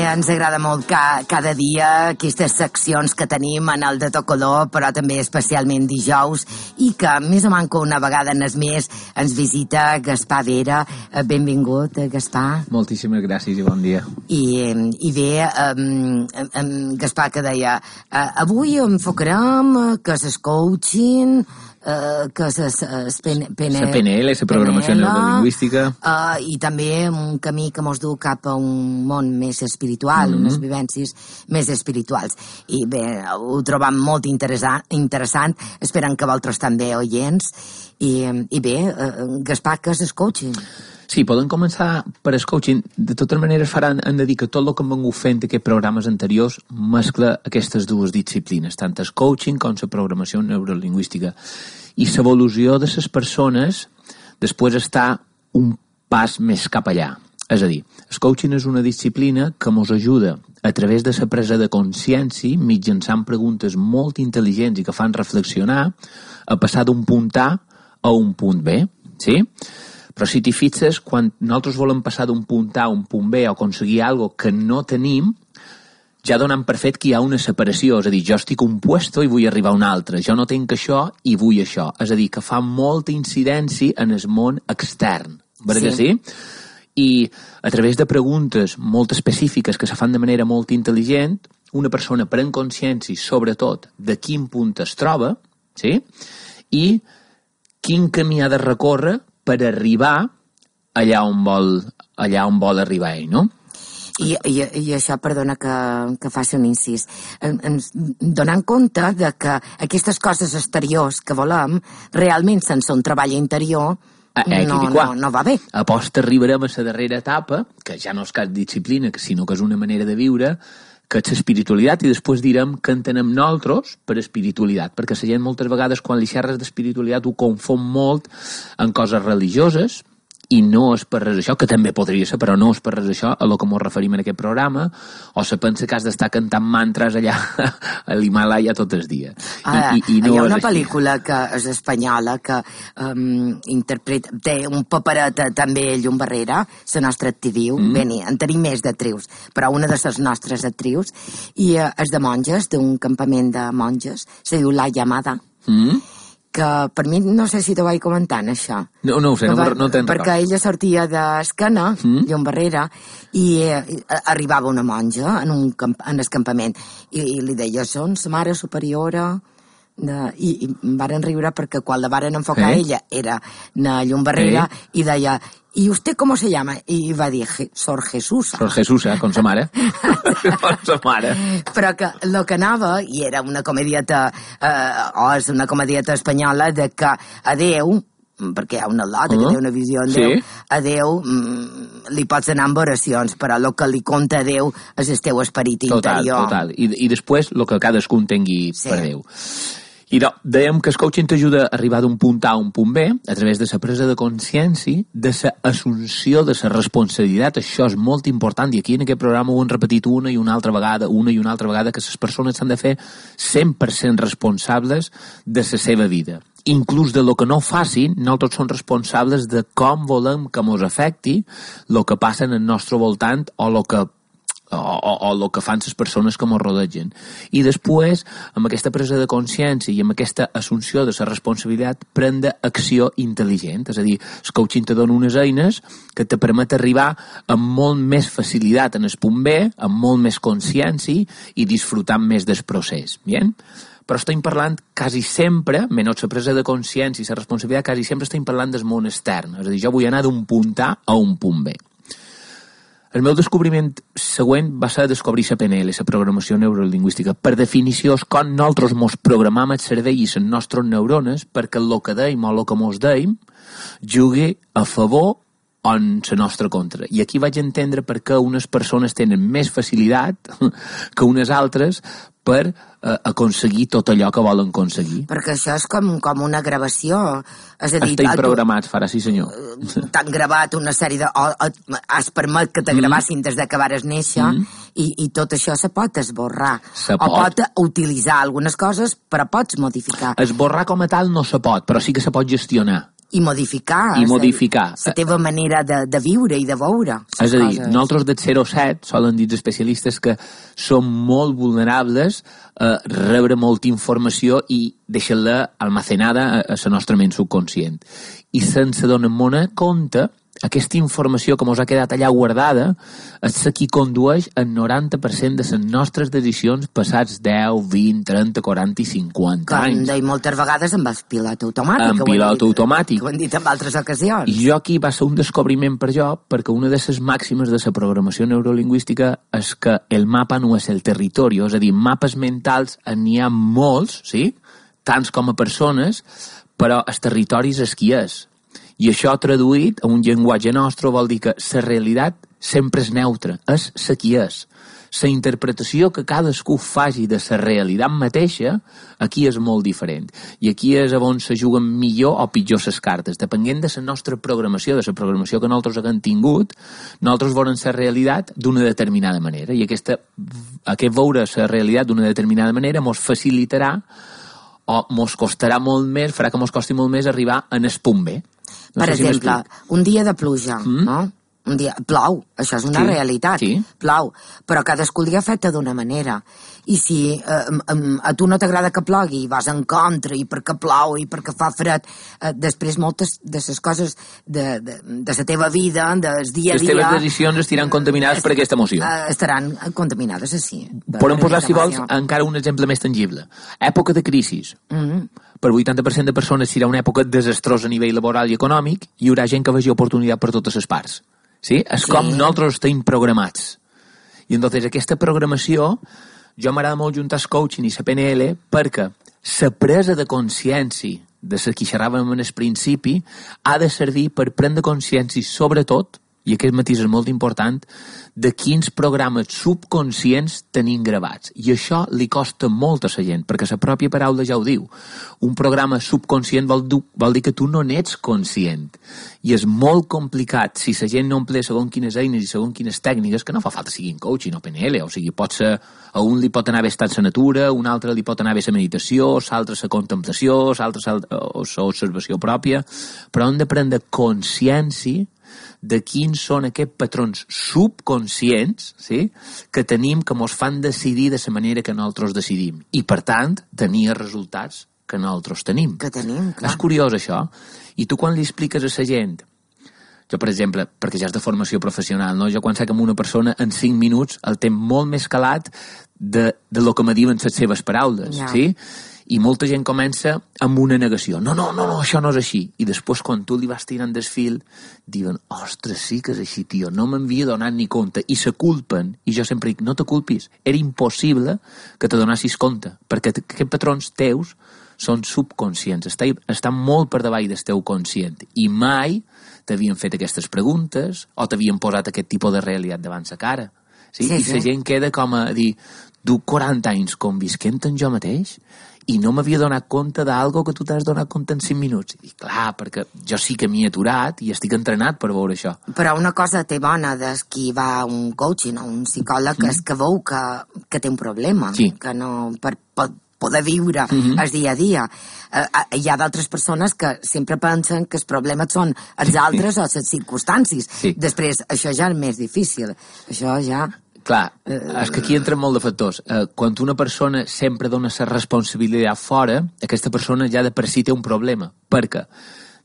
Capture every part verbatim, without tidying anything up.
ens agrada molt ca, cada dia aquestes seccions que tenim en el de To Color, però també especialment dijous, i que més o manco una vegada en es més ens visita Gaspar Vera. Benvingut, Gaspar. Moltíssimes gràcies i bon dia. I, i bé, um, um, Gaspar, que deia, uh, avui enfocarem que s'escoutxin, Uh, que és P N L, la programació neurolingüística, uh, i també un camí que mos du cap a un món més espiritual, mm-hmm. unes vivències més espirituals. I bé, ho trobam molt interessant, interessant. Esperem que vosaltres també, oients. I, i bé, uh, Gaspar, què és coaching? Sí, podem començar per el coaching. De totes maneres, faran, hem de dir que tot el que hem vingut fent aquests programes anteriors mescla aquestes dues disciplines, tant el coaching com la programació neurolingüística. I l'evolució de les persones després està un pas més cap allà. És a dir, el coaching és una disciplina que ens ajuda a través de la presa de consciència, mitjançant preguntes molt intel·ligents i que fan reflexionar, a passar d'un punt A a un punt B. Sí? Però si t'hi fixes, quan nosaltres volem passar d'un punt A a un punt B o aconseguir alguna cosa que no tenim, ja donem per fet que hi ha una separació. És a dir, jo estic un puesto i vull arribar a un altre. Jo no tinc això i vull això. És a dir, que fa molta incidència en el món extern. Perquè sí? sí? I a través de preguntes molt específiques que se fan de manera molt intel·ligent, una persona pren consciència, sobretot, de quin punt es troba, sí? I quin camí ha de recórrer per arribar allà on vol, allà on vol arribar ell, no? I, i, i això, perdona que, que faci un incís, ens donant compte de que aquestes coses exteriors que volem, realment sense un treball interior, eh, no, no, no va bé. Aposta arribarem a la darrera etapa, que ja no és cap disciplina, sinó que és una manera de viure, que és l'espiritualitat, i després direm que entenem nosaltres per espiritualitat, perquè la gent moltes vegades quan li xerres d'espiritualitat ho confon molt en coses religioses, i no és per res això, que també podria ser, però no és per res això a lo que ens referim en aquest programa, o se pensa que has d'estar cantant mantres allà a l'Himalaya tot el dia. Ah, I, i, i no hi ha una pel·lícula que és espanyola que um, interpreta, té un paperet també Llum Barrera, la nostra actriu, mm. bé, en tenim més d'actrius, però una de les nostres actrius, i uh, és de monges, d'un campament de monges, se diu La Llamada. Mm. Que per mi, no sé si t'ho vaig comentant, això. No, no ho sé, no, va, no te'n record. Perquè ella sortia d'Escana, mm. Llum Barrera, i eh, arribava una monja en, un camp, en el campament, i, i li deia, són la mare superiora, de, i, i varen riure perquè quan la varen enfocar eh? ella era na Llum Barrera, eh? I deia, ¿y usted cómo se llama? I va dir, Sor Jesusa. Sor Jesusa, com sa mare. Com sa mare. Però que el que anava, i era una comedieta, eh, o és una comedieta espanyola, de que a Déu, perquè hi ha una lota, uh-huh. que té una visió en Déu, sí. A Déu mm, li pots anar amb oracions, però el que li conta a Déu és el teu esperit total, interior. Total, total. I, i després el que cadascun tingui sí. per Déu. I no, dèiem que el coaching t'ajuda a arribar d'un punt A a un punt B a través de la presa de consciència, de l'assumpció de la responsabilitat. Això és molt important i aquí en aquest programa ho hem repetit una i una altra vegada, una i una altra vegada, que les persones s'han de fer cent per cent responsables de la seva vida. Inclús de lo que no facin, nosaltres som responsables de com volem que ens afecti el que passa en el nostre voltant o el que o, o, o el que fan les persones que ens rodegen. I després, amb aquesta presa de consciència i amb aquesta assumpció de la responsabilitat, prendre acció intel·ligent. És a dir, el coaching te dona unes eines que te permet arribar amb molt més facilitat en el punt B, amb molt més consciència i disfrutant més del procés. Bien? Però estem parlant quasi sempre, menys la presa de consciència i la responsabilitat, quasi sempre estem parlant del món extern. És a dir, jo vull anar d'un punt A a un punt B. El meu descobriment següent va ser descobrir la P N L, la programació neurolingüística. Per definició, és com nosaltres mos programam el cervell i les nostres neurones perquè el que deim o el que mos deim jugui a favor o en la nostra contra. I aquí vaig entendre per què unes persones tenen més facilitat que unes altres per eh, aconseguir tot allò que volen aconseguir. Perquè això és com, com una gravació. És a dir, estem programats, farà, sí senyor. T'han gravat una sèrie de... O, o, has permet que te mm. gravassin des de que vares néixer mm. i, i tot això se pot esborrar. Se o pot. pot utilitzar algunes coses, però pots modificar. Esborrar com a tal no se pot, però sí que se pot gestionar. I modificar. I modificar. La teva manera de, de viure i de veure. És a dir, nosaltres del zero set solen dir els especialistes que som molt vulnerables a rebre molta informació i deixar-la almacenada a la nostra ment subconscient. I sense donar-nos compte, aquesta informació que ens ha quedat allà guardada és la que condueix el noranta per cent de les nostres decisions passats deu, vint, trenta, quaranta i cinquanta anys. Com deia moltes vegades amb el pilot automàtic. Amb pilot automàtic. Ho hem dit en altres ocasions. I jo aquí va ser un descobriment per jo, perquè una de les màximes de la programació neurolingüística és que el mapa no és el territori, és a dir, mapes mentals n'hi ha molts, sí? Tants com a persones, però el territori és el que és. I això traduït a un llenguatge nostre vol dir que la realitat sempre és neutra, és la que és. La interpretació que cadascú faci de la realitat mateixa, aquí és molt diferent. I aquí és on se juguen millor o pitjor les cartes. Depenent de la nostra programació, de la programació que nosaltres haguem tingut, nosaltres veurem la realitat d'una determinada manera. I aquesta, aquest veure la realitat d'una determinada manera ens facilitarà o ens costarà molt més, farà que ens costi molt més arribar en el punt B. No per sé exemple, si un dia de pluja, mm? no? Un dia, plou, això és una sí, realitat, sí. Plou, però cadascú el dia afecta d'una manera. I si eh, a tu no t'agrada que plogui i vas en contra i perquè plou i perquè fa fred, eh, després moltes de les coses de, de, de la teva vida, del dia a dia... Les teves decisions estaran contaminades est, per aquesta emoció. Eh, estaran contaminades, sí. Podem posar, si vols, encara un exemple més tangible. Època de crisi. Mm-hmm. Per vuitanta per cent de persones serà una època desastrosa a nivell laboral i econòmic i hi haurà gent que vegi oportunitat per totes les parts. Sí? És sí. Com nosaltres estem programats. I entonces aquesta programació, jo m'agrada molt juntar el coaching i la P N L perquè la presa de consciència de la que xerràvem en el principi ha de servir per prendre consciència sobretot, i aquest matís és molt important, de quins programes subconscients tenim gravats. I això li costa molt a la gent, perquè la pròpia paraula ja ho diu. Un programa subconscient vol, vol dir que tu no n'ets conscient. I és molt complicat si la gent no emplea segons quines eines i segons quines tècniques, que no fa falta siguin coaching o P N L, o sigui, pot ser, a un li pot anar bé estar en la natura, a un altre li pot anar bé la meditació, l'altre la contemplació, l'altre l'observació pròpia, però hem de prendre consciència de quins són aquests patrons subconscients, sí, que tenim, que ens fan decidir de la manera que nosaltres decidim. I, per tant, tenir els resultats que nosaltres tenim. Que tenim, clar. És curiós, això. I tu, quan li expliques a la gent, jo, per exemple, perquè ja és de formació professional, no? Jo quan sé que amb una persona en cinc minuts el té molt més calat de, de lo que me diuen les seves paraules, ja. Sí? I molta gent comença amb una negació. No, no, no, no, això no és així. I després, quan tu li vas tirant del fil, diuen, ostres, sí que és així, tio, no m'havia donat ni compte. I se culpen. I jo sempre dic, no te culpis. Era impossible que te donassis compte, perquè aquests patrons teus són subconscients, estan molt per davall del teu conscient. I mai t'havien fet aquestes preguntes o t'havien posat aquest tipus de realitat davant la cara. Sí? Sí, I la sí. gent queda com a dir, du quaranta anys convisquent en jo mateix i no m'havia donat compte d'algo que tu t'has donat compte en cinc minuts. I clar, perquè jo sí que m'hi he aturat i estic entrenat per veure això. Però una cosa té bona des qui va a un coaching o un psicòleg mm. és que veu que, que té un problema, sí. que no... Per, per, poder viure mm-hmm. el dia a dia. Uh, hi ha d'altres persones que sempre pensen que els problemes són els altres o les circumstàncies. Sí. Després, això ja és més difícil. Això ja... Clar, és que aquí entren molt de factors. Eh, quan una persona sempre dona la responsabilitat fora, aquesta persona ja de per si té un problema. Perquè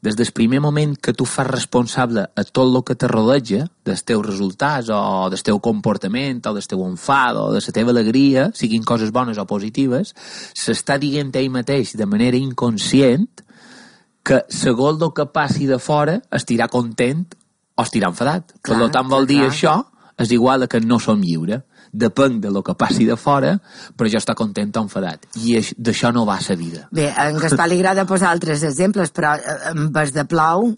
des del primer moment que tu fas responsable a tot el que te rodeja, dels teus resultats o del teu comportament o del teu enfat o de la teva alegria, siguin coses bones o positives, s'està dient ell mateix de manera inconscient que segons el que passi de fora estirà content o estirà enfadat. Clar, per tant, vol dir clar. Això és igual que no som lliures. Depèn de lo que passi de fora, però jo estic content o enfadat. I d'això no va a la vida. Bé, a en Gaspar li agrada posar altres exemples, però en vez de plou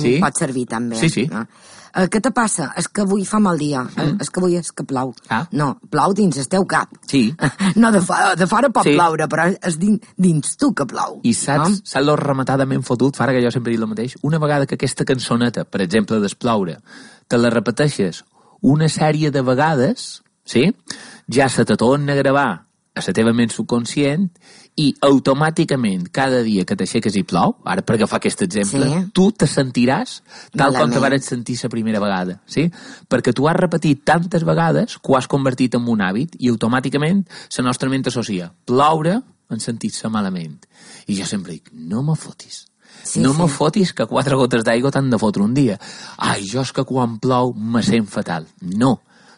sí? pot servir també. Sí, sí. No? Eh, què te passa? És que avui fa mal dia. Mm. És que avui és que plou. Ah. No, plou dins el teu cap. Sí. No, de, fora, de fora pot sí. ploure, però és dins, dins tu que plou. I saps, no? Saps lo rematadament fotut, fara que jo sempre dic el mateix? Una vegada que aquesta cançoneta, per exemple, d'Esploure, te la repeteixes una sèrie de vegades, sí? Ja se te torna a gravar a la teva ment subconscient i automàticament cada dia que t'aixeques i plou, ara per agafar aquest exemple, sí. tu te sentiràs tal Malament. com te vas sentir la primera vegada, sí? Perquè tu has repetit tantes vegades que ho has convertit en un hàbit i automàticament la nostra ment associa ploure en sentir-se malament. I jo sempre dic, no me fotis. Sí, no sí. me fotis que quatre gotes d'aigua t'han de fotre un dia. Ai, jo és que quan plou me sent fatal. No,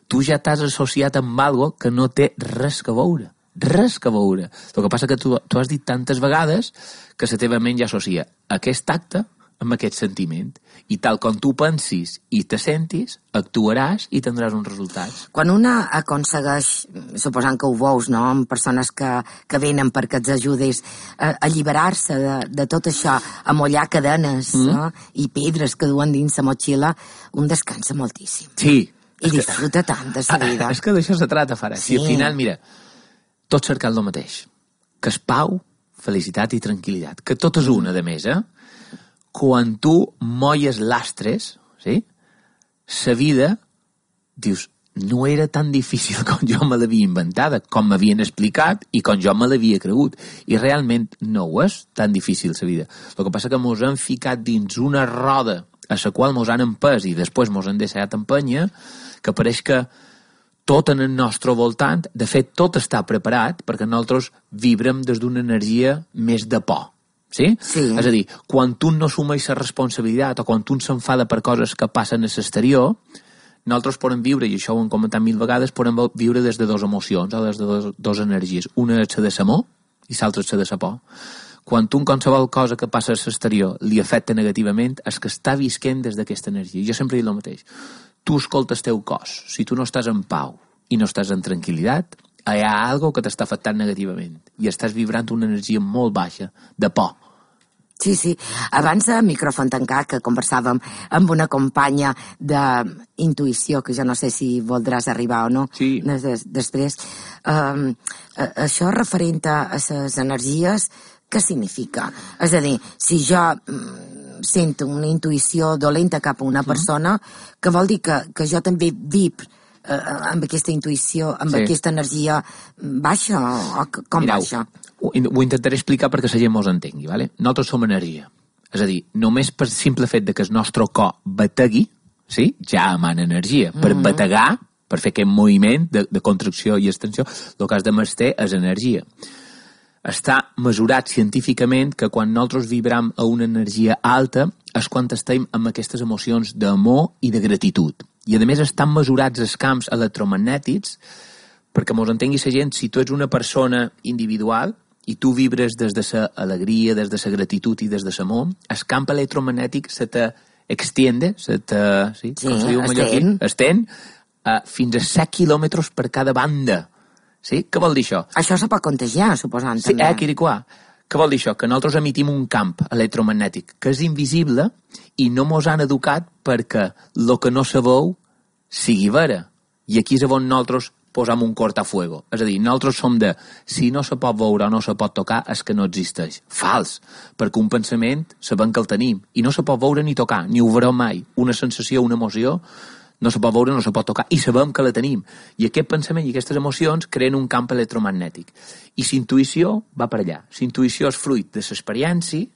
tu ja t'has associat amb algo que no té res que veure. Res que veure. El que passa que tu, tu has dit tantes vegades que la teva ment ja associa aquest acte amb aquest sentiment. I tal com tu pensis i te sentis, actuaràs i tindràs uns resultats. Quan una aconsegueix, suposant que ho veus, no?, amb persones que, que venen perquè els ajudis a alliberar-se de, de tot això, a mollar cadenes mm. no? i pedres que duen dins la motxilla, un descansa moltíssim. Sí. I disfruta que, tant de la vida. És que d'això se trata, Farah. Sí. Si al final, mira, tot cercant el mateix, que és pau, felicitat i tranquil·litat, que tot és una, de més, eh? Quan tu molles lastres, sí? La vida, dius, no era tan difícil com jo me l'havia inventada, com m'havien explicat i com jo me l'havia cregut. I realment no ho és tan difícil, la vida. El que passa que mos han ficat dins una roda a la qual mos han empès i després mos han deixat empènyer, que pareix que tot en el nostre voltant, de fet, tot està preparat perquè nosaltres vibrem des d'una energia més de por. Sí? Sí. És a dir, quan tu no assumeix la responsabilitat o quan tu s'enfada per coses que passen a l'exterior, nosaltres podem viure, i això ho hem comentat mil vegades, podem viure des de dues emocions o des de dues, dues energies. Una és la de l'amor i l'altra és la de la por. Quan tu en qualsevol cosa que passa a l'exterior li afecta negativament, és que està visquent des d'aquesta energia. Jo sempre dic el mateix. Tu escoltes teu cos. Si tu no estàs en pau i no estàs en tranquil·litat, hi ha alguna que t'està afectant negativament i estàs vibrant una energia molt baixa, de por. Sí, sí. Abans de micròfon tancat, que conversàvem amb una companya d'intuïció, que jo no sé si voldràs arribar o no, sí. des, després, um, això referent a les energies, què significa? És a dir, si jo mm, sento una intuïció dolenta cap a una persona, mm. que vol dir que, que jo també vib eh, amb aquesta intuïció, amb sí. aquesta energia baixa o com Mirau, baixa? Ho, ho intentaré explicar perquè la gent mos entengui, ¿vale? Nosaltres som energia. És a dir, només per simple fet de que el nostre cor bategui, sí? ja emana energia. Per mm -hmm. bategar, per fer aquest moviment de, de contracció i extensió, el que has de mestre és energia. Està mesurat científicament que quan nosaltres vibram a una energia alta és quan estem amb aquestes emocions d'amor i de gratitud. I a més estan mesurats els camps electromagnètics perquè mos entengui la gent, si tu ets una persona individual i tu vibres des de l'alegria, des de la gratitud i des de l'amor, el camp electromagnètic se te extiende, se te, sí, sí, com se diu estén, estén uh, fins a set quilòmetres per cada banda. Sí? Què vol dir això? Això se pot contagiar, suposant, sí, també. Eh, Quiriquà. Què vol dir això? Que nosaltres emitim un camp electromagnètic que és invisible i no mos han educat perquè el que no se veu sigui vera. I aquí és on nosaltres posam un cortafuego. És a dir, nosaltres som de si no se pot veure o no se pot tocar és que no existeix. Fals. Perquè un pensament sabem que el tenim i no se pot veure ni tocar, ni ho veurem mai. Una sensació, una emoció no se pot veure, no se pot tocar, i sabem que la tenim. I aquest pensament i aquestes emocions creen un camp electromagnètic. I la intuïció va per allà. La intuïció és fruit de l'experiència,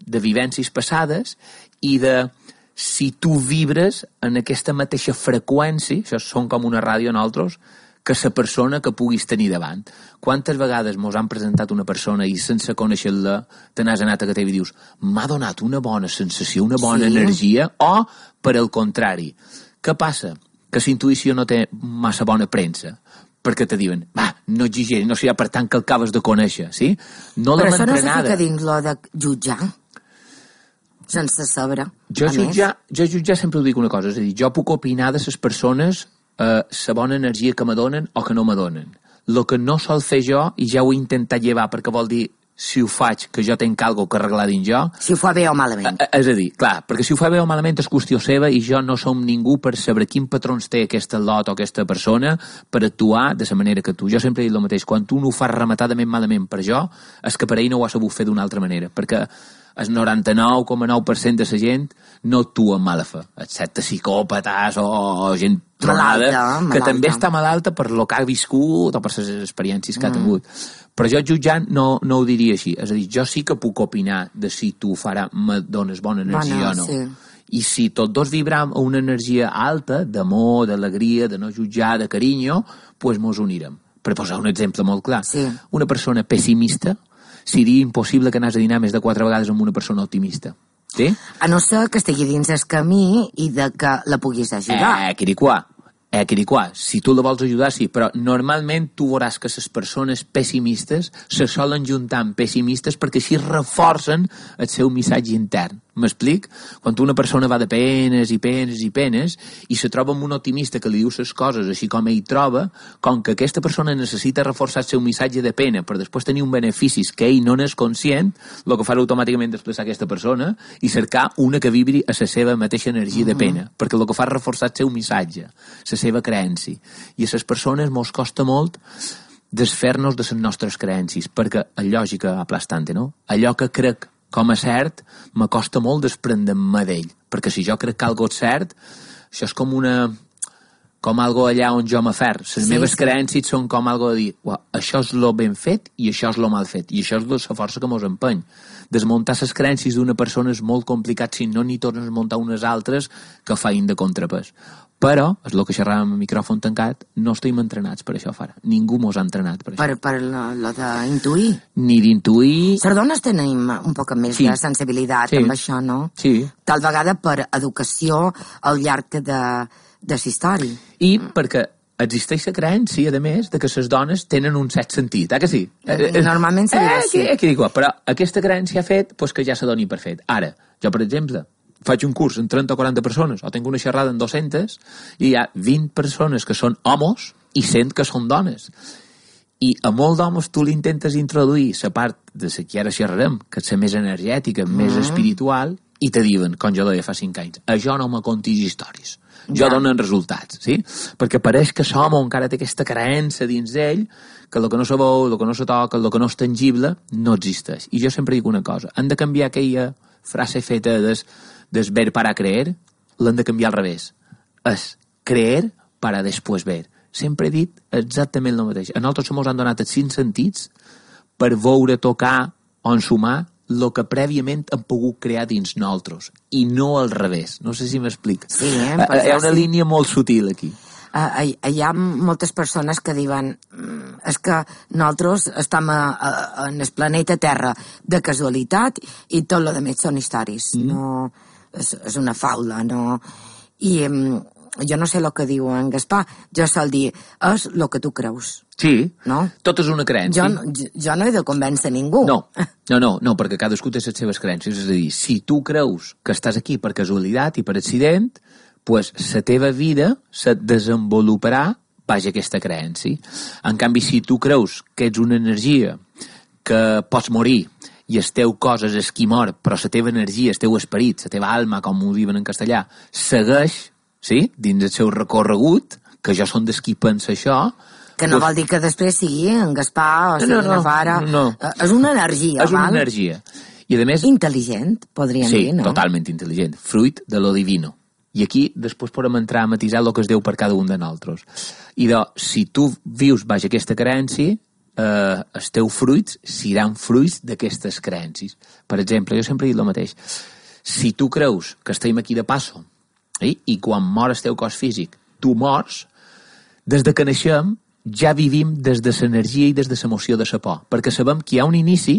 de vivències passades, i de si tu vibres en aquesta mateixa freqüència, això són com una ràdio en altres, que la persona que puguis tenir davant. Quantes vegades mos han presentat una persona i sense conèixer-la te n'has anat a que i dius m'ha donat una bona sensació, una bona sí. energia, o, per al contrari, què passa? Que la intuïció no té massa bona premsa, perquè te diuen, va, no exigeri, no serà per tant que el acabes de conèixer, sí? No Però això no se fica dins lo de jutjar, sense saber. Jo jutjar, jo jutjar sempre ho dic una cosa, és a dir, jo puc opinar de les persones la eh, bona energia que me donen o que no me donen. El que no sol fer jo, i ja ho he intentat llevar, perquè vol dir si ho faig, que jo tenc alguna que arreglar dins jo... Si ho fa bé o malament. És a dir, clar, perquè si ho fa bé o malament és qüestió seva i jo no som ningú per saber quin patrons té aquesta lot o aquesta persona per actuar de la manera que tu. Jo sempre he dit el mateix, quan tu no ho fas rematadament malament per jo, és que per ell no ho ha sabut fer d'una altra manera, perquè el noranta-nou coma nou per cent de la gent no actua amb mala fe, excepte psicòpates o gent tronada, malalta, que malalta. també està malalta per lo que ha viscut o per les experiències que mm. ha tingut. Però jo jutjant no, no ho diria així. És a dir, jo sí que puc opinar de si tu farà, me dones bona energia bueno, o no. Sí. I si tots dos vibram a una energia alta, d'amor, d'alegria, de no jutjar, de carinyo, pues mos unirem. Per posar un exemple molt clar. Sí. Una persona pessimista seria impossible que anàs a dinar més de quatre vegades amb una persona optimista. Sí? A no ser que estigui dins el camí i de que la puguis ajudar. Eh, quiriquà. Eh, quiriquà. Si tu la vols ajudar, sí, però normalment tu veuràs que les persones pessimistes se solen juntar amb pessimistes perquè així reforcen el seu missatge intern. M'explic? Quan una persona va de penes i penes i penes i se troba amb un optimista que li diu les coses així com ell troba, com que aquesta persona necessita reforçar el seu missatge de pena per després tenir un beneficis que ell no n'és conscient, el que fa automàticament desplaçar aquesta persona i cercar una que vibri a la seva mateixa energia de pena, mm-hmm. perquè el que fa és reforçar el seu missatge, la seva creença. I a les persones mos costa molt desfer-nos de les nostres creences, perquè la lògica aplastante, no? Allò que crec com a cert, me costa molt desprendre-me d'ell, perquè si jo crec que algo és cert, això és com una... com algo allà on jo m'afer. Les sí, meves sí. creences són com algo de dir, això és lo ben fet i això és lo mal fet, i això és la força que mos empeny. Desmuntar les creences d'una persona és molt complicat si no n'hi tornes a desmuntar unes altres que feien de contrapès. Però, és el que xerràvem amb el micròfon tancat, no estem entrenats per això, Fara. Ningú mos ha entrenat per això. Per, per lo, lo d'intuir. Ni d'intuir... Les dones tenim un poc més sí. de sensibilitat sí. amb això, no? Sí. Tal vegada per educació al llarg de, de la història. I perquè existeix la creença, a més, de que les dones tenen un cert sentit, eh que sí? Normalment seria eh, així. Eh, que dic, però aquesta creença ha fet pues, que ja se doni per fet. Ara, jo, per exemple, faig un curs amb trenta o quaranta persones, o tinc una xerrada amb dos-centes, i hi ha vint persones que són homes i cent que són dones. I a molt d'homes tu li intentes introduir la part de la que ara xerrarem, que és la més energètica, mm. més espiritual, i te diuen, com jo deia fa cinc anys, a jo no me contis històries. Jo ja. donen resultats, sí? Perquè pareix que l'home encara té aquesta creença dins d'ell que el que no se veu, el que no se toca, el que no és tangible, no existeix. I jo sempre dic una cosa, han de canviar aquella frase feta des, des ver para creer, l'han de canviar al revés. És creer para después ver. Sempre he dit exactament el mateix. A nosaltres ens han donat els cinc sentits per veure, tocar o ensumar el que prèviament han pogut crear dins nosaltres, i no al revés. No sé si m'explic. Sí, eh? Hi ha una sí. línia molt sutil aquí. Uh, hi ha moltes persones que diuen és que nosaltres estem a, a, en el planeta Terra de casualitat i tot el que més són històries. Mm. No, és, és una faula, no? I um, jo no sé el que diu en Gaspar, jo sol dir, és el que tu creus. Sí, no? Tot és una creença. Jo, jo, jo no he de convèncer ningú. No, no, no, no, perquè cadascú té les seves creences. És a dir, si tu creus que estàs aquí per casualitat i per accident, pues la teva vida se desenvoluparà baix aquesta creença. En canvi, si tu creus que ets una energia que pots morir i el teu cos és el qui mor, però la teva energia, el teu esperit, la teva alma, com ho diuen en castellà, segueix, sí, dins el seu recorregut, que jo són des qui pensa això. Que no pues, vol dir que després sigui en Gaspar o sigui no, no, una Fara. No, no. És una energia, És una val? energia. I a més... Intel·ligent, podríem sí, dir, no? Sí, totalment intel·ligent. Fruit de lo divino. I aquí després podem entrar a matisar el que es deu per cada un de nosaltres. I de, si tu vius baix aquesta creença, eh, els teus fruits seran fruits d'aquestes creences. Per exemple, jo sempre he dit el mateix. Si tu creus que estem aquí de passo, eh, i quan mor el teu cos físic, tu mors, des de que naixem ja vivim des de l'energia i des de l'emoció de la por, perquè sabem que hi ha un inici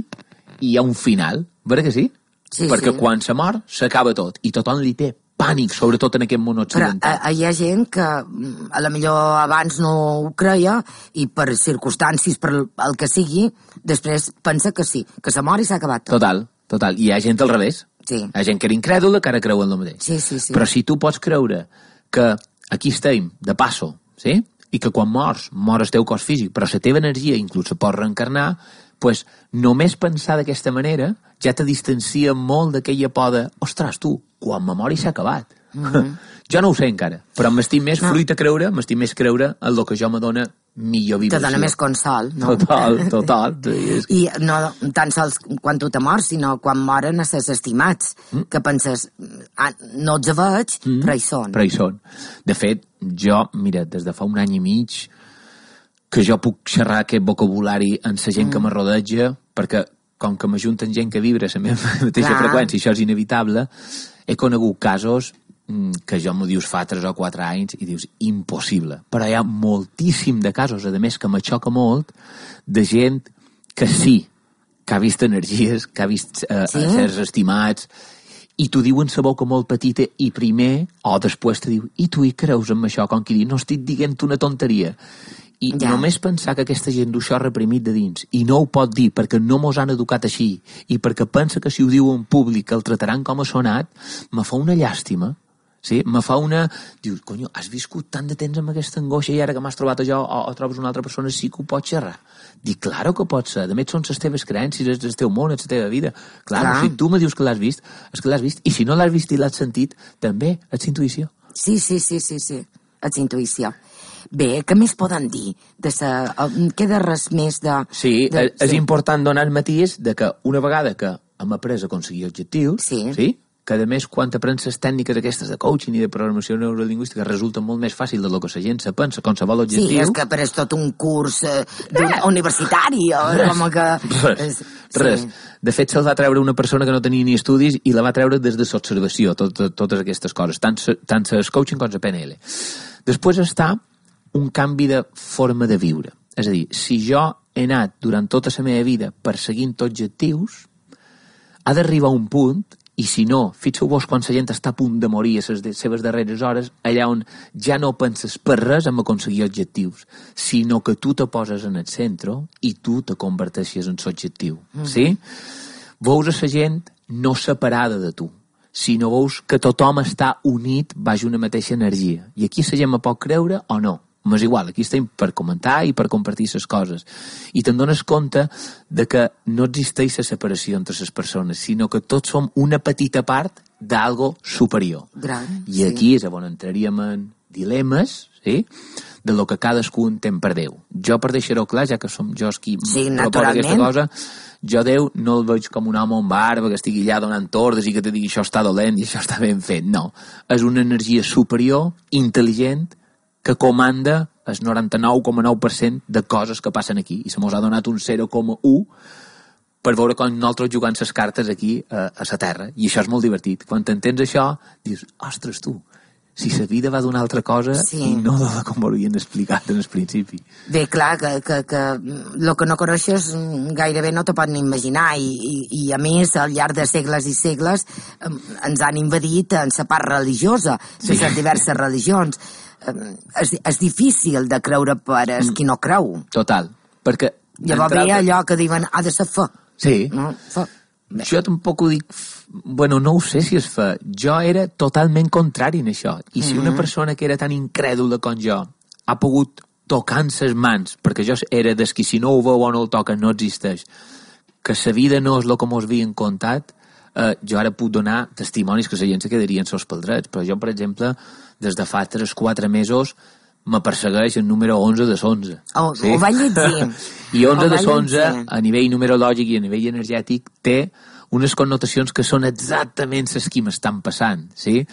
i hi ha un final, vera que sí? Sí, perquè sí. quan se mor s'acaba tot, i tothom li té pànic, sobretot en aquest món occidental. Però hi ha gent que a la millor abans no ho creia i per circumstàncies, per el que sigui, després pensa que sí, que se mor i s'ha acabat tot. Total, total. I hi ha gent al revés. Sí. Hi ha gent que era incrèdula que ara creu en el mateix. Sí, sí, sí. Però si tu pots creure que aquí estem, de passo, sí? I que quan mors, mor el teu cos físic, però la teva energia inclús se pot reencarnar, pues, només pensar d'aquesta manera ja te distancia molt d'aquella por de, ostres, tu, quan me mori s'ha acabat. Mm-hmm. Jo no ho sé encara, però m'estic més no. fruit a creure, m'estic més creure en el que jo m'adona millor vibració. Te dona més consol, no? Total, total. I no tan sols quan tu te mors, sinó quan moren a ses estimats, mm. que penses, ah, no els veig, mm. però hi són. Però hi són. De fet, jo, mira, des de fa un any i mig que jo puc xerrar aquest vocabulari en la gent mm. que me rodeja, perquè com que m'ajunten gent que vibra a la meva mateixa Clar. freqüència, això és inevitable, he conegut casos que jo m'ho dius fa tres o quatre anys i dius, impossible. Però hi ha moltíssim de casos, a més que me xoca molt, de gent que sí, que ha vist energies, que ha vist eh, sí? certs estimats, i t'ho diuen sa boca molt petita i primer, o després te diu, i tu hi creus en això? Com qui diu, no estic dient una tonteria. I ja. només pensar que aquesta gent du això reprimit de dins i no ho pot dir perquè no mos han educat així i perquè pensa que si ho diu en públic el trataran com a sonat, me fa una llàstima. Sí? Me fa una... Dius, conyo, has viscut tant de temps amb aquesta angoixa i ara que m'has trobat allò o, o trobes una altra persona sí que ho pots xerrar. Dic, claro que pot ser. De més, són les teves creences, és el teu món, és la teva vida. Claro, Clar. si tu me dius que l'has vist, és que l'has vist. I si no l'has vist i l'has sentit, també ets intuïció. Sí, sí, sí, sí, sí. Ets intuïció. Bé, què més poden dir? De sa... Queda res més de... Sí, de... és sí. important donar el matís de que una vegada que hem après a aconseguir objectius, sí, sí? que a més quan t'aprens les tècniques aquestes de coaching i de programació neurolingüística resulta molt més fàcil del que la gent se pensa, qualsevol objectiu. Sí, és que però és tot un curs eh, universitari o com que... Res, és, res. Sí. De fet, se'l va treure una persona que no tenia ni estudis i la va treure des de l'observació, tot, tot, totes aquestes coses, tant, tant el coaching com la P N L. Després està un canvi de forma de viure. És a dir, si jo he anat durant tota la meva vida perseguint objectius, ha d'arribar un punt. I si no, fixeu-vos quan la gent està a punt de morir a les seves darreres hores, allà on ja no penses per res en aconseguir objectius, sinó que tu te poses en el centre i tu te converteixes en l'objectiu. Mm. Sí? Veus a la gent no separada de tu, sinó veus que tothom està unit baix una mateixa energia. I aquí la gent me pot creure o no. M'és igual, aquí estem per comentar i per compartir les coses. I te'n dones compte de que no existeix la separació entre les persones, sinó que tots som una petita part d'algo superior. Gran, I aquí sí. és on entraríem en dilemes, sí?, de lo que cadascú entén per Déu. Jo, per deixar-ho clar, ja que som jo qui sí, proposa aquesta cosa, jo Déu no el veig com un home amb barba que estigui allà donant ordres i que te digui això està dolent i això està ben fet. No, és una energia superior, intel·ligent, que comanda el noranta-nou coma nou per cent de coses que passen aquí. I se mos ha donat un zero coma u per veure com nosaltres jugant les cartes aquí a, a la Terra. I això és molt divertit. Quan t'entens això, dius, ostres, tu, si la vida va d'una altra cosa sí. i no de com ho havien explicat en el principi. Bé, clar, que, que, que el que no coneixes gairebé no te pot ni imaginar i, i, i a més, al llarg de segles i segles ens han invadit en la part religiosa, sí. les diverses religions. És, és difícil de creure per el qui no creu. Total, perquè... Llavors ve allò que diuen, ha de ser fe. Sí. No? Fe. Jo tampoc ho dic... Bueno, no ho sé si és fe. Jo era totalment contrari en això. I si una persona que era tan incrèdula com jo ha pogut tocar en ses mans, perquè jo era des qui si no ho veu o no el toca no existeix, que la vida no és el que mos havien contat, eh, jo ara puc donar testimonis que la gent se quedarien sols pel dret. Però jo, per exemple, des de fa tres o quatre mesos me persegueix el número onze de onze. Oh, sí? Ho vaig llegir. I onze de onze, a nivell numerològic i a nivell energètic, té unes connotacions que són exactament les que m'estan passant, sí?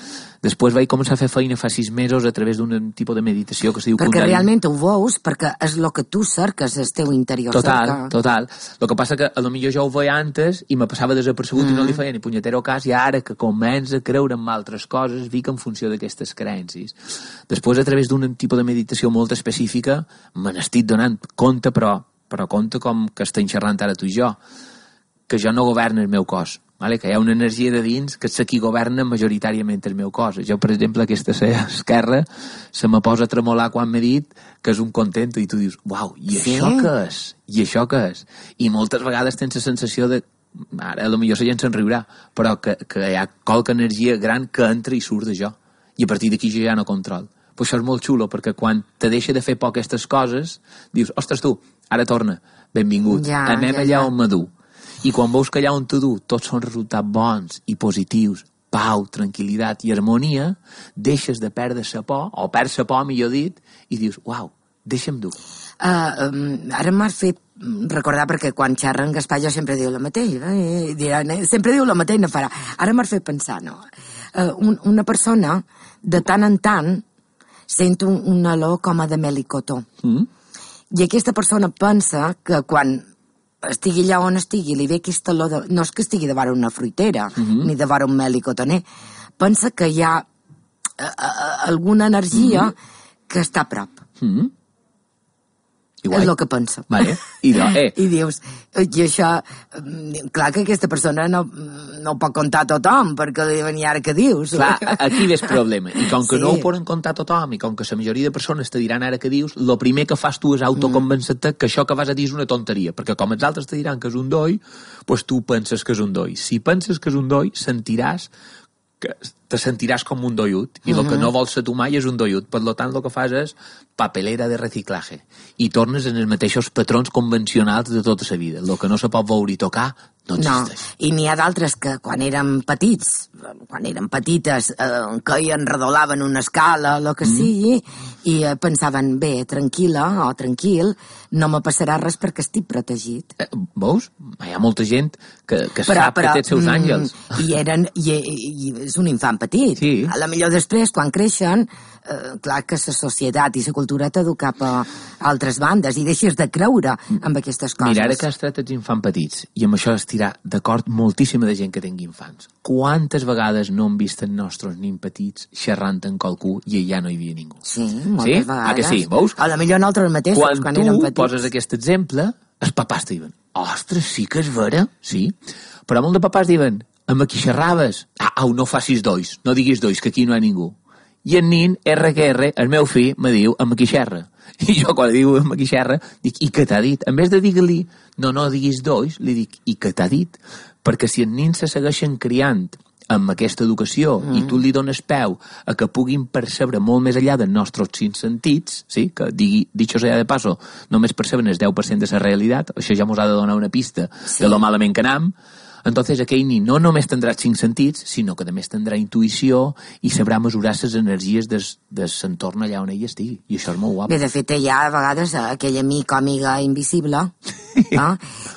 Després vaig començar a fer feina fa sis mesos a través d'un tipus de meditació que es diu perquè Kundalini. Perquè realment ho veus, perquè és el que tu cerques, el teu interior. Total, cerca. total. El que passa que a lo millor jo ho veia antes i me passava desapercebut mm. i no li feia ni punyetero cas, i ara que comença a creure en altres coses, vic en funció d'aquestes creences. Després, a través d'un tipus de meditació molt específica, me n'estic donant compte, però, però compte com que estem xerrant ara tu i jo, que jo no governo el meu cos, vale? Que hi ha una energia de dins que és qui governa majoritàriament el meu cos. Jo, per exemple, aquesta esquerra se me posa a tremolar quan m'he dit que és un contento i tu dius, uau, i sí? això què és? I això què és? I moltes vegades tens la sensació de, ara potser la gent se'n riurà, però que, que hi ha qualque energia gran que entra i surt de jo. I a partir d'aquí jo ja no control. Però això és molt xulo, perquè quan te deixa de fer por aquestes coses, dius, ostres tu, ara torna, benvingut, ja, anem ja, allà ja. on m'adu. I quan veus que allà on t'ho du tots són resultats bons i positius, pau, tranquil·litat i harmonia, deixes de perdre la por, o perds la por, millor dit, i dius, uau, Deixa'm dur. Uh, um, ara m'has fet recordar, perquè quan xerra en Gaspar jo sempre diu el mateix, eh? Diran, eh? sempre diu el mateix, no farà. Ara m'has fet pensar, no? Uh, un, una persona, de tant en tant, sent un, un olor com a de melicotó. Mm. I aquesta persona pensa que quan estigui allà on estigui, li ve aquesta olor, de, no és que estigui davant una fruitera, mm-hmm. ni davant un melicotoner, pensa que hi ha uh, uh, alguna energia mm-hmm. que està a prop. Mm-hmm. Igual. És el que pensa. Vale. I, no, eh. I dius, i això, clar que aquesta persona no, no ho pot contar a tothom, perquè li diuen, i ara què dius? Clar, aquí ve el problema. I com que sí. no ho poden contar a tothom, i com que la majoria de persones te diran ara què dius, el primer que fas tu és autoconvencent-te mm. que això que vas a dir és una tonteria, perquè com els altres te diran que és un doi, doncs tu penses que és un doi. Si penses que és un doi, sentiràs que te sentiràs com un doiut, i el uh-huh. que no vols ser tu mai és un doiut. Per tant, el que fas és papelera de reciclatge, i tornes en els mateixos patrons convencionals de tota la vida. El que no se pot veure i tocar no existeix. No, i n'hi ha d'altres que quan eren petits, quan eren petites, eh, queien, redolaven una escala, el que mm. sigui, i eh, pensaven, bé, tranquil·la o tranquil, no me passarà res perquè estic protegit. Eh, veus? Hi ha molta gent que, que però, sap però, que té els seus àngels. I, eren, i, i és un infant petit. Sí. A la millor després, quan creixen, eh, clar que la societat i la cultura t'edu cap a altres bandes i deixes de creure en aquestes coses. Mira, ara que has tret els infants petits, i amb això estirà d'acord moltíssima de gent que tingui infants. Quantes vegades no hem vist els nostres nins petits xerrant amb qualcú i allà no hi havia ningú? Sí, moltes sí? vegades. Ah, que sí, veus? A la millor nosaltres mateixos, quan, quan érem petits. Quan tu poses aquest exemple, els papàs te diuen, ostres, sí que és vera, sí. Però molts de papàs diuen, amb qui xerraves? Ah, au, no facis dois, no diguis dois, que aquí no hi ha ningú. I el nin, erre que erre, el meu fill, me diu, amb qui xerra. I jo, quan diu amb qui xerra, dic, i què t'ha dit? En vez de dir-li, no, no diguis dois, li dic, i què t'ha dit? Perquè si els nins se segueixen criant amb aquesta educació mm. i tu li dones peu a que puguin percebre molt més enllà dels nostres cinc sentits, sí? Que digui, dicho sea de paso, només perceben el deu per cent de la realitat, això ja mos ha de donar una pista sí. de lo malament que anam. Entonces aquell nin no només tindrà cinc sentits, sinó que a més tindrà intuïció i sabrà mesurar les energies des, des l'entorn allà on ell estigui. I això és molt guapo. Bé, de fet, hi ha a vegades aquell amic o amiga invisible, no?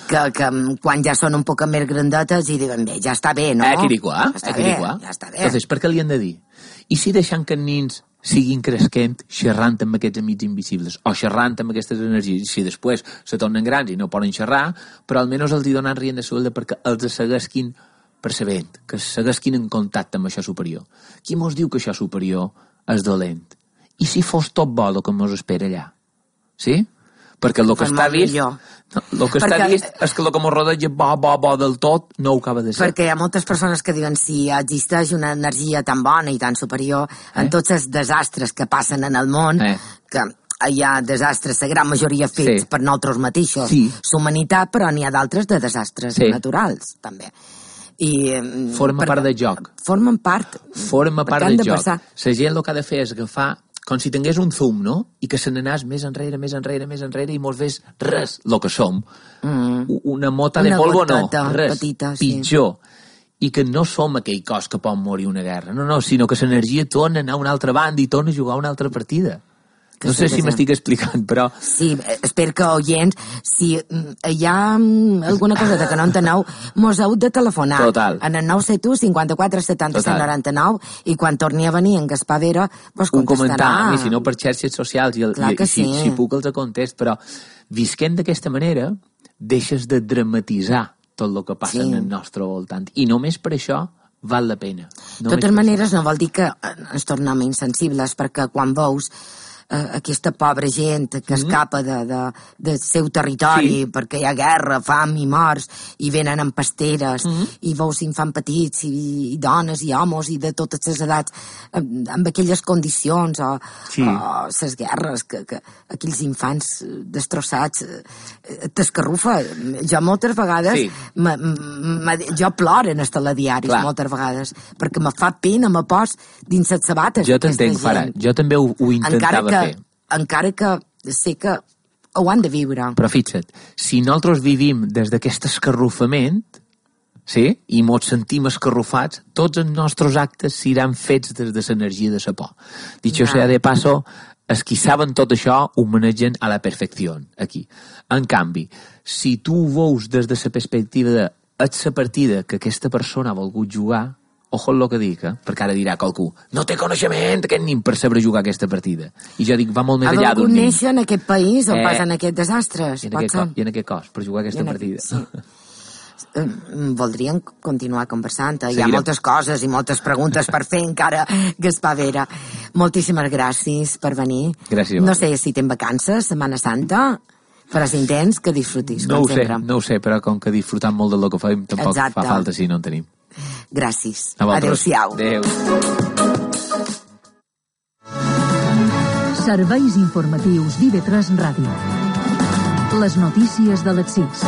que, que quan ja són un poc més grandetes i diuen, bé, ja està bé, no? Eh, quiriquà, ja està eh, quiriquà. bé, ja està bé. Entonces, per què li han de dir? I si deixant que els nins siguin cresquent, xerrant amb aquests amics invisibles, o xerrant amb aquestes energies, si després se tornen grans i no poden xerrar, però almenys els hi donen rient de suelda perquè els seguesquin percebent, que seguesquin en contacte amb això superior. Qui mos diu que això superior és dolent? I si fos tot bo el que mos espera allà? Sí? Perquè el que està vist... No, el que perquè, està vist és que el que mos rodeja bo, bo, bo del tot no ho acaba de ser. Perquè hi ha moltes persones que diuen si existeix una energia tan bona i tan superior eh? en tots els desastres que passen en el món, eh? que hi ha desastres, la gran majoria fets sí. per nosaltres mateixos, sí. l'humanitat, però n'hi ha d'altres de desastres sí. naturals, també. I, forma per, part del joc. Formen part. Forma part del joc. La gent el que ha de fer és agafar com si tingués un zoom, no? I que se n'anàs més enrere, més enrere, més enrere i mos ves res, el que som. Mm. Una mota de polvo no, res, petita, pitjor. Sí. I que no som aquell cos que pot morir una guerra, no, no, sinó que l'energia torna a anar a una altra banda i torna a jugar una altra partida. Que no sé si m'estic explicant, però... Sí, espero que oients, si hi ha alguna cosa que no enteneu, mos heu de telefonar. Total. En el nou set u cinquanta-quatre setanta-set noranta-nou i quan torni a venir en Gaspar Vera vos contestarà. Un comentar, i si no per xarxes socials, i, el, i, i si, sí. si puc els contest, però visquent d'aquesta manera deixes de dramatitzar tot el que passa sí. en el nostre voltant. I només per això val la pena. De totes maneres, no vol dir que ens tornem insensibles, perquè quan veus Uh, aquesta pobra gent que mm-hmm. escapa de, de, del seu territori sí. perquè hi ha guerra, fam i morts i venen amb pasteres mm-hmm. i veus infants petits i, i dones i homes i de totes les edats amb, amb aquelles condicions o, sí. o les guerres que, que aquells infants destrossats t'escarrufa. Jo moltes vegades sí. m, m, jo ploro en els telediaris Clar. moltes vegades perquè me fa pena, me pos dins les sabates. Jo t'entenc, Farah, jo també ho, ho intentava que, encara que sé que ho han de viure. Però fixa't, si nosaltres vivim des d'aquest escarrufament, sí, i mos sentim escarrufats, tots els nostres actes seran fets des de l'energia de la por. Dicho no. sea de paso, els qui saben tot això ho manegen a la perfecció, aquí. En canvi, si tu ho veus des de la perspectiva de és la partida que aquesta persona ha volgut jugar, ojo el que dic, eh? Perquè ara dirà qualcú, no té coneixement aquest nin per saber jugar aquesta partida. I jo dic, va molt més enllà d'un nin. Ha volgut néixer en aquest país on eh, passen aquests desastres. I en, aquest cos, I en aquest cos, per jugar aquesta en partida. Sí. Voldríem continuar conversant. Hi ha moltes coses i moltes preguntes per fer encara, Gaspar Vera. Moltíssimes gràcies per venir. Gràcies. No sé si tens vacances, Setmana Santa, però si en tens, que disfrutis. No ho sé, no ho sé, però com que disfrutam molt del que fem, tampoc Exacte. Fa falta si no en tenim. Gràcies. Adéu-siau. Adéu. Serveis informatius d'I V tres Ràdio. Les notícies de les sis.